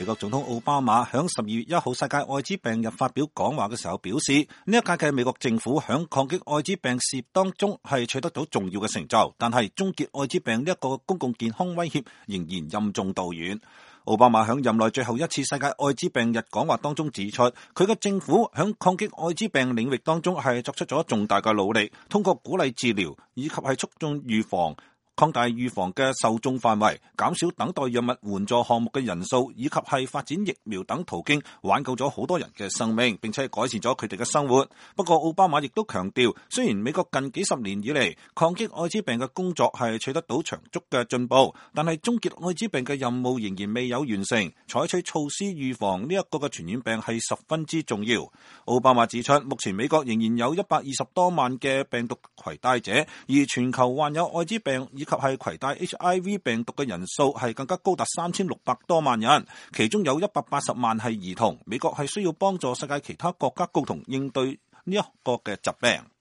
美國總統奧巴馬響12月1號世界艾滋病日發表講話嘅時候表示，呢一屆嘅美國政府響抗擊艾滋病事業當中係取得到重要嘅成就，但係終結艾滋病呢一個公共健康威脅仍然任重道遠。奧巴馬響任內最後一次世界艾滋病日講話當中指出，佢嘅政府響抗擊艾滋病領域當中係作出咗重大嘅努力，通過鼓勵治療以及係促進預防、擴大預防嘅受眾範圍，減少等待藥物援助項目嘅人數，以及係發展疫苗等途徑，挽救咗好多人嘅生命，並且改善咗佢哋嘅生活。不過奧巴馬亦都強調，雖然美國近幾十年以嚟抗擊艾滋病嘅工作係取得到長足嘅進步，但係終結艾滋病嘅任務仍然未有完成，採取措施預防呢一個嘅傳染病係十分之重要。奧巴馬指出，目前美國仍然有120多萬嘅病毒攜帶者，而全球患有艾滋病以及係攜帶 HIV 病毒嘅人數係更加高達3600多萬人，其中有180萬係兒童。美國係需要幫助世界其他國家共同應對呢一個嘅疾病。